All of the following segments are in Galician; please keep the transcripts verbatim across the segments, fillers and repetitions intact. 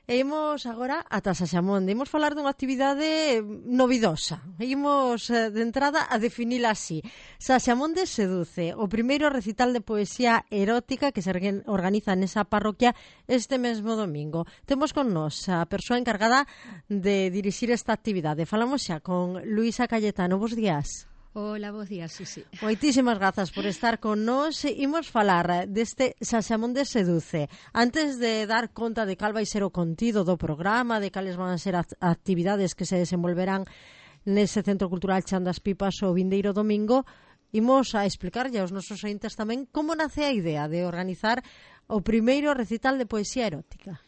E imos agora ata Saxamonde. Imos falar dunha actividade novidosa. Imos de entrada a definila así. Saxamonde seduce, o primeiro recital de poesía erótica que se organiza nesa parroquia este mesmo domingo. Temos con nós a persoa encargada de dirixir esta actividade. Falamos xa con Luisa Cayetano. Bos días. Hola, bos días, Susi. Moitísimas grazas por estar con nós. Imos falar deste Saxamonde seduce. Antes de dar conta de cal vai ser o contido do programa, de cales van a ser as actividades que se desenvolverán nese Centro Cultural Chan das Pipas o vindeiro domingo, imos a explicarlle aos nosos ointes tamén como nace a idea de organizar o primeiro recital de poesía erótica.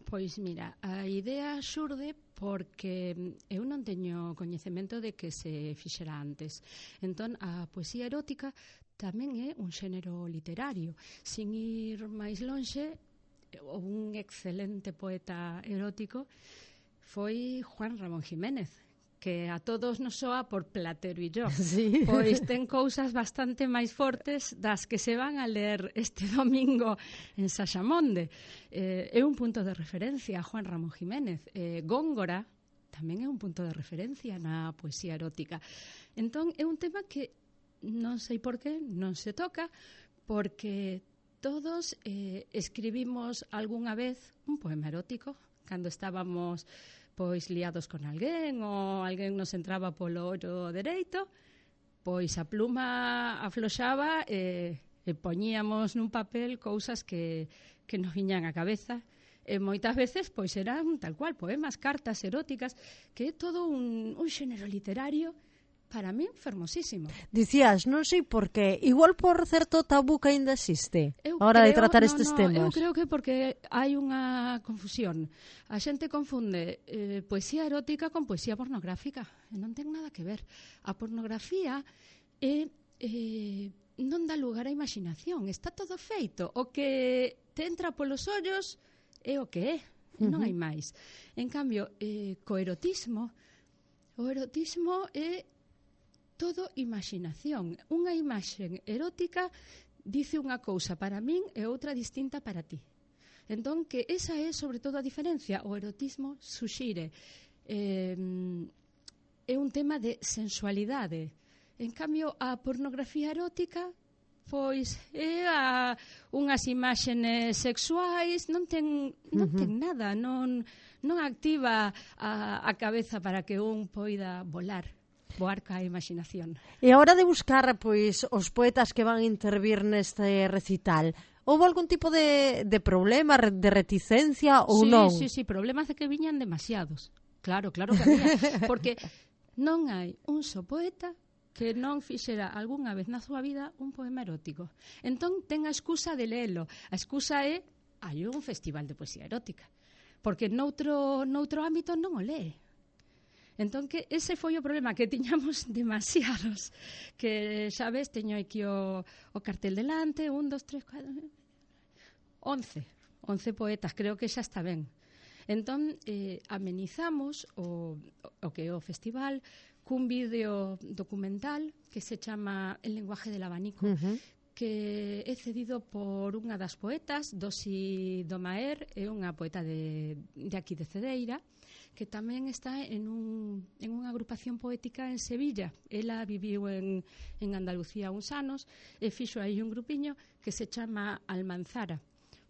Pois mira, a idea xurde porque eu non teño coñecemento de que se fixera antes. Entón, a poesía erótica tamén é un xénero literario. Sin ir máis lonxe, un excelente poeta erótico foi Juan Ramón Jiménez, que a todos nos soa por Platero e yo. Sí. Pois ten cousas bastante máis fortes das que se van a ler este domingo en Saxamonde. Eh, é un punto de referencia, Juan Ramón Jiménez. Eh, Góngora tamén é un punto de referencia na poesía erótica. Entón, é un tema que non sei por qué non se toca, porque todos eh, escribimos algunha vez un poema erótico cando estábamos pois liados con alguén ou alguén nos entraba polo ollo dereito, pois a pluma afloxaba e, e poñíamos nun papel cousas que, que nos viñan á cabeza. E moitas veces pois eran tal cual, poemas, cartas eróticas, que é todo un, un xénero literario para mí fermosísimo. Dicías, non sei por qué, igual por certo tabú que ainda existe eu a hora creo, de tratar no, estes no, temas. Eu creo que porque hai unha confusión. A xente confunde eh, poesía erótica con poesía pornográfica. E non ten nada que ver. A pornografía é, eh, non dá lugar á imaginación. Está todo feito. O que te entra polos ollos é o que é. Uh-huh. Non hai máis. En cambio, eh, co erotismo, o erotismo é todo imaginación. Unha imaxe erótica dice unha cousa para min e outra distinta para ti. Entón, que esa é sobre todo a diferencia. O erotismo suxire. Eh, é un tema de sensualidade. En cambio, a pornografía erótica pois é a, unhas imaxes sexuais, non ten, non ten nada, non, non activa a, a cabeza para que un poida volar. Voar ca imaginación. E a hora de buscar pois os poetas que van intervir neste recital, houve algún tipo de, de problema, de reticencia ou sí, non? Sí, sí, problemas de que viñan demasiados. Claro, claro que había, porque non hai un só poeta que non fixera algunha vez na súa vida un poema erótico. Entón ten a excusa de lelo. A excusa é hai un festival de poesía erótica, porque noutro, noutro ámbito non o lee. Entón, que ese foi o problema, que tiñamos demasiados. Que, sabes, teño aquí o, o cartel delante, un, dos, tres, cuatro... Once. Once poetas, creo que xa está ben. Entón, eh, amenizamos o, o que é o festival cun vídeo documental que se chama El lenguaje del abanico, uh-huh. que é cedido por unha das poetas, Dosi Domaer, é unha poeta de, de aquí de Cedeira, que tamén está en, un, en unha agrupación poética en Sevilla. Ela viviu en, en Andalucía uns anos e fixo aí un grupiño que se chama Almanzara.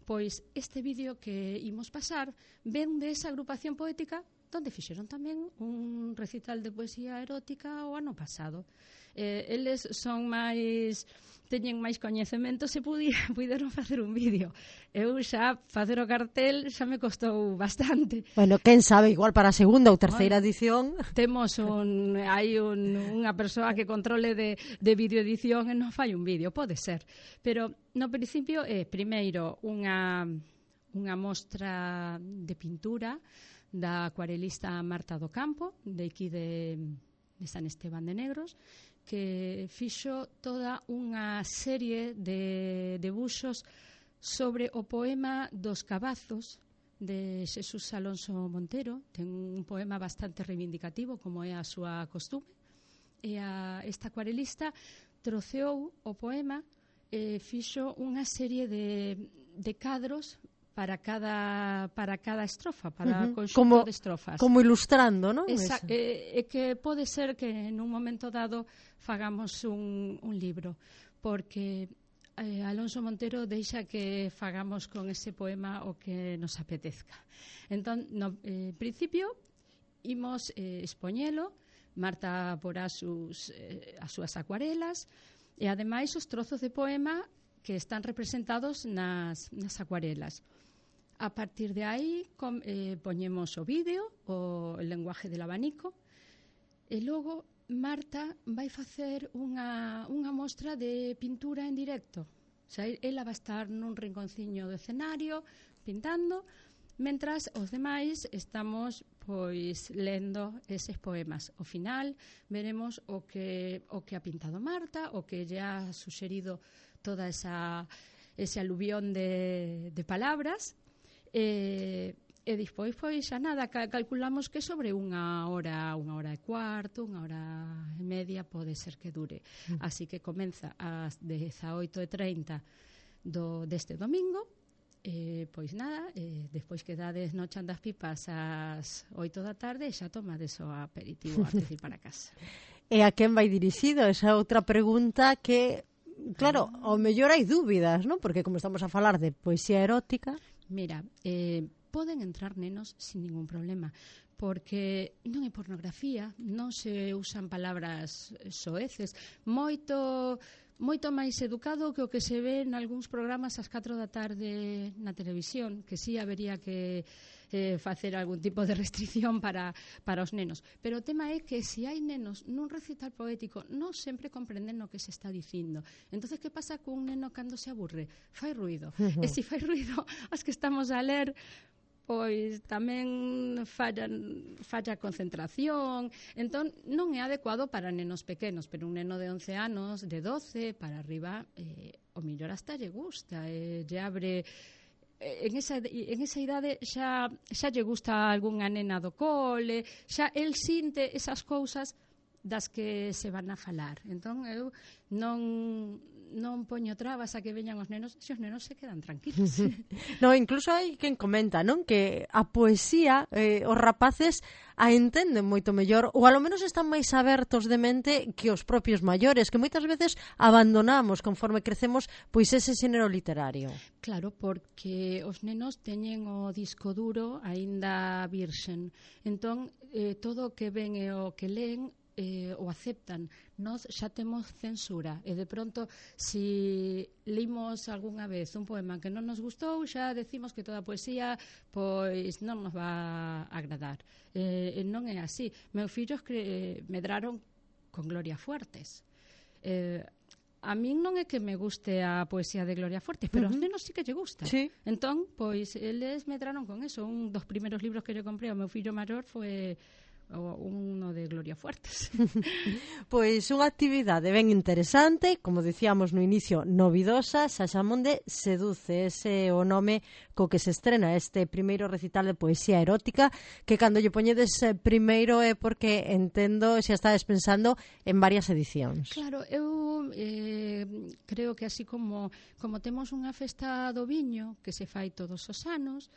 Pois este vídeo que imos pasar ven de esa agrupación poética donde fixeron tamén un recital de poesía erótica o ano pasado. Eh, eles son máis... teñen máis coñecemento, se puderon facer un vídeo. Eu xa facer o cartel xa me costou bastante. Bueno, quen sabe, igual para a segunda ou terceira bueno, edición. Temos un hai un, unha persoa que controle de, de videoedición e non fai un vídeo, pode ser. Pero no principio é, primeiro, unha, unha mostra de pintura da acuarelista Marta do Campo, de aquí de, de San Esteban de Negros, que fixo toda unha serie de debuxos sobre o poema dos cabazos de Xesús Alonso Montero. Ten un poema bastante reivindicativo, como é a súa costume, e a, esta acuarelista troceou o poema e fixo unha serie de, de cadros para cada para cada estrofa, para uh-huh. o conxunto como, de estrofas. Como ilustrando, non? Esa, é, é que pode ser que en un momento dado fagamos un, un libro, porque eh, Alonso Montero deixa que fagamos con ese poema o que nos apetezca. Entón, no eh, principio, imos eh, expoñelo, Marta porá sus, eh, as súas acuarelas, e ademais os trozos de poema que están representados nas, nas acuarelas. A partir de aí com, eh, poñemos o vídeo, o lenguaje del abanico, e logo Marta vai facer unha, unha mostra de pintura en directo. O sea, ela vai estar nun rinconciño do escenario pintando, mentras os demais estamos pois lendo eses poemas. Ao final veremos o que o que ha pintado Marta, o que lle ha suxerido toda esa ese aluvión de, de palabras. E, e despois, pois, xa nada, calculamos que sobre unha hora, unha hora e cuarto, unha hora e media pode ser que dure. Mm. Así que comeza ás dezaoito e trinta do, deste domingo, e, pois nada, e, despois que dades no chan das pipas ás oito da tarde, xa tomades o aperitivo antes de ir para casa. E a quen vai dirixido? Esa outra pregunta que, claro, ao mellor hai dúbidas, non? Porque como estamos a falar de poesía erótica... Mira, eh, poden entrar nenos sin ningún problema, porque non é pornografía, non se usan palabras soeces, moito moito máis educado que o que se ve en algúns programas ás catro da tarde na televisión, que sí habería que eh, facer algún tipo de restricción para, para os nenos. Pero o tema é que se hai nenos nun recital poético non sempre comprenden o que se está dicindo. Entonces, que pasa cun neno cando se aburre? Fai ruido. Uh-huh. E se fai ruido, as que estamos a ler, pois tamén fallan, falla a concentración. Entón, non é adecuado para nenos pequenos, pero un neno de once anos, de doce, para arriba, eh, o mellor hasta lle gusta, eh, lle abre... En esa, en esa idade xa, xa lle gusta algunha nena do cole, xa el sinte esas cousas das que se van a falar. Entón, eu non... non poño trabas a que veñan os nenos, se os nenos se quedan tranquilos. No, incluso hai quen comenta, non? Que a poesía, eh, os rapaces a entenden moito mellor, ou alo menos están máis abertos de mente que os propios maiores, que moitas veces abandonamos conforme crecemos pois ese xénero literario. Claro, porque os nenos teñen o disco duro aínda virxen. Entón, eh, todo o que ven e o que leen Eh, o aceptan. Nós xa temos censura e de pronto si limos algunha vez un poema que non nos gustou, xa decimos que toda a poesía pois non nos va a agradar. Eh, non é así. Meus fillos cre- medraron con Gloria Fuertes. Eh, a min non é que me guste a poesía de Gloria Fuertes, pero uh-huh. aos nenos sí que lle gusta. Sí. Entón, pois eles medraron con eso. Un dos primeros libros que lle comprei ao meu fillo maior foi o uno de Gloria Fuertes. Pois unha actividade ben interesante, como dicíamos no inicio, novidosa. Xaxamonde seduce, ese é o nome co que se estrena este primeiro recital de poesía erótica, que cando lle poñedes primeiro é porque entendo xa estades pensando en varias edicións. Claro, eu eh, creo que así como, como temos unha festa do viño que se fai todos os anos,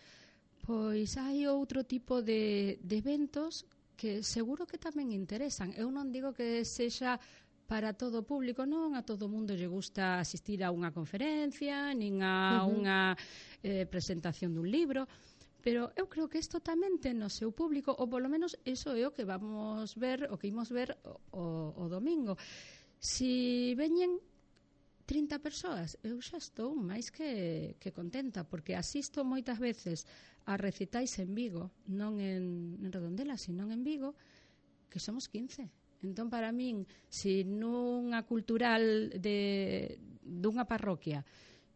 pois hai outro tipo de, de eventos que seguro que tamén interesan. Eu non digo que sexa para todo o público, non a todo o mundo lle gusta asistir a unha conferencia, nin a uh-huh. unha eh, presentación dun libro, pero eu creo que isto tamén ten o seu público, ou polo menos iso é o que vamos ver, o que imos ver o, o domingo. Si veñen trinta persoas, eu xa estou máis que, que contenta, porque asisto moitas veces a recitais en Vigo, non en, en Redondela, sino en Vigo, que somos quince. Entón, para min, se nunha cultural de dunha parroquia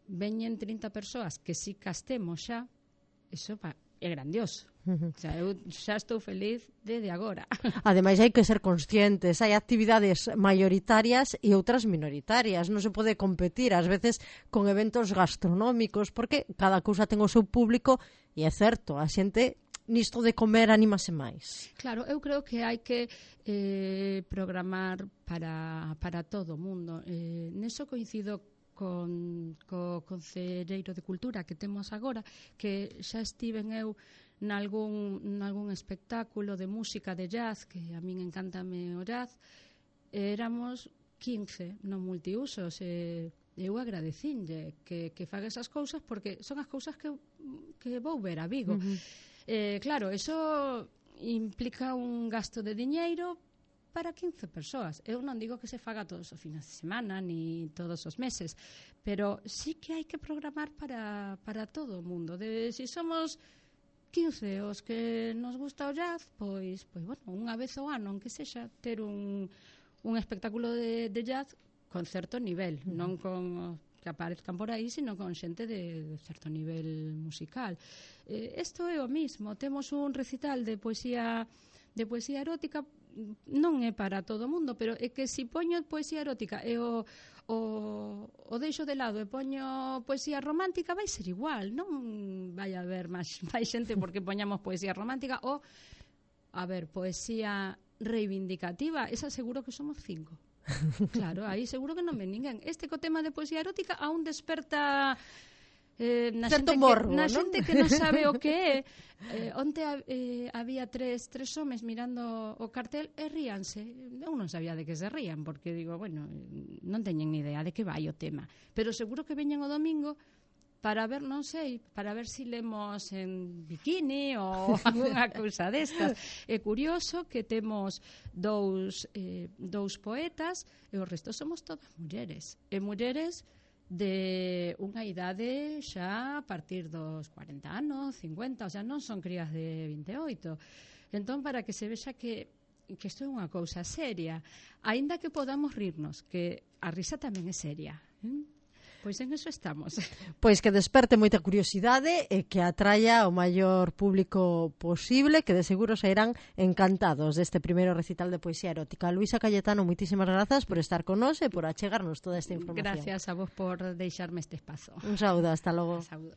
veñen trinta persoas que si castemos xa, iso pa, é grandioso. Uh-huh. O sea, eu xa estou feliz desde agora. Ademais, hai que ser conscientes. Hai actividades maioritarias e outras minoritarias. Non se pode competir, ás veces, con eventos gastronómicos, porque cada cousa ten o seu público, e é certo, a xente nisto de comer anímase máis. Claro, eu creo que hai que eh, programar para, para todo o mundo. Eh, neso coincido con co Concelleiro de Cultura que temos agora, que xa estiven eu nalgún, nalgún espectáculo de música de jazz, que a min encántame o jazz, éramos quince no multiusos, e eu agradecinlle que, que faga esas cousas, porque son as cousas que, que vou ver a Vigo. Uh-huh. Eh, claro, eso implica un gasto de diñeiro para quince persoas. Eu non digo que se faga todos os fines de semana ni todos os meses, pero sí que hai que programar para, para todo o mundo. De, si somos quince os que nos gusta o jazz, pois, pois bueno, unha vez ao ano, aunque sexa, ter un, un espectáculo de, de jazz con certo nivel, uh-huh. non con que aparezcan por aí, sino con xente de, de certo nivel musical. Eh, isto é o mismo. Temos un recital de poesía de poesía erótica, non é para todo o mundo, pero é que se si poño poesía erótica e o, o, o deixo de lado e poño poesía romántica, vai ser igual, non vai haber máis, máis xente porque poñamos poesía romántica, ou, a ver, poesía reivindicativa, esa seguro que somos cinco. Claro, aí seguro que non ven ninguén. Este co tema de poesía erótica aún desperta... Eh, na xente, morbo, que, na xente que non sabe o que é. Eh, onte eh, había tres, tres homes mirando o cartel e ríanse. Eu non sabía de que se rían, porque digo, bueno, non teñen ni idea de que vai o tema, pero seguro que veñen o domingo para ver, non sei, para ver si lemos en bikini ou alguna cousa destas. É curioso que temos dous, eh, dous poetas e o resto somos todas mulleres. E mulleres de unha idade xa a partir dos cuarenta anos, cincuenta, o sea, non son crías de vinte e oito. Entón, para que se vexa que que isto é unha cousa seria, aínda que podamos rirnos, que a risa tamén é seria, ¿eh? Pois en eso estamos. Pois que desperte moita curiosidade e que atraia ao maior público posible, que de seguro sairán encantados deste primeiro recital de poesía erótica. Luisa Cayetano, moitísimas grazas por estar con nós e por achegarnos toda esta información. Gracias a vos por deixarme este espazo. Un saúdo, hasta logo. Un saúdo.